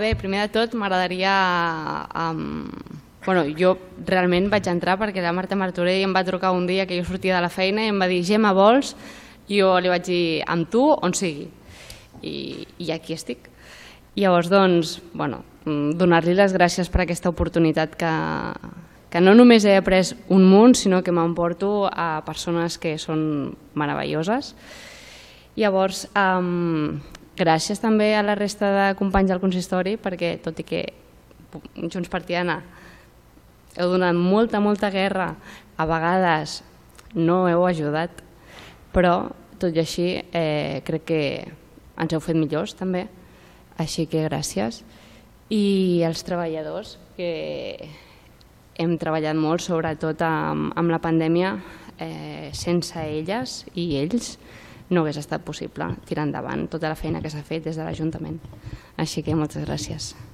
Bé, primer de tot m'agradaria... Jo realment vaig entrar perquè la Marta Martorell em va trucar un dia que jo sortia de la feina i em va dir Gemma, vols? Jo li vaig dir amb tu on sigui i aquí estic. Llavors, doncs, donar-li les gràcies per aquesta oportunitat que no només he après un munt, sinó que m'emporto a persones que són meravelloses. Llavors, gràcies també a la resta de companys del consistori perquè, tot i que Junts per Tiana heu donat molta guerra, a vegades no heu ajudat, però tot i així crec que ens heu fet millors també, així que gràcies. I els treballadors, que hem treballat molt, sobretot amb la pandèmia, sense elles i ells no hagués estat possible tirar endavant tota la feina que s'ha fet des de l'Ajuntament. Així que moltes gràcies.